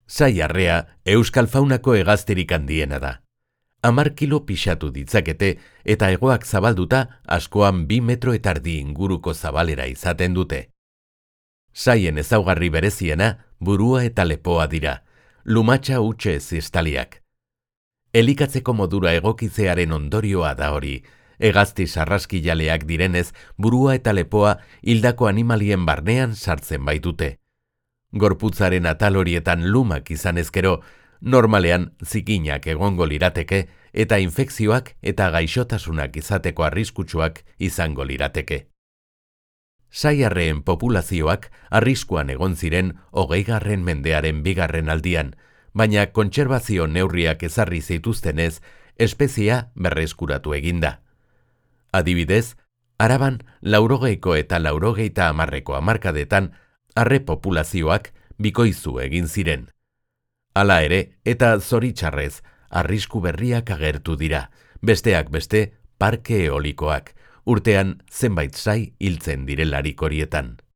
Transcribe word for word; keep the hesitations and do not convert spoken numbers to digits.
Saiarrea euskal faunako hegaztirik handiena da. Hamar kilo pixatu ditzakete eta hegoak zabalduta askoan bi metro eta erdi inguruko zabalera izaten dute. Saien ezaugarri bereziena burua eta lepoa dira, lumatxa hutsez estaliak. Elikatzeko modura egokitzearen ondorioa da hori, hegazti sarraskijaleak direnez burua eta lepoa hildako animalien barnean sartzen baitute. Gorputzaren atal horietan lumak izan ezkero, normalean zikinak egongo lirateke eta infekzioak eta gaixotasunak izateko arriskutsuak izango lirateke. Saiarreen populazioak arriskuan egon ziren hogeigarren mendearen bigarren aldian, baina kontserbazio neurriak ezarri zituztenez, espeziea berreskuratu eginda. Adibidez, Araban laurogeiko eta laurogeita hamarreko hamarkadetan arre populazioak bikoizu egin ziren. Hala ere, eta zoritxarrez, arrisku berriak agertu dira, besteak beste parke eolikoak, urtean zenbait sai hiltzen direlarik horietan.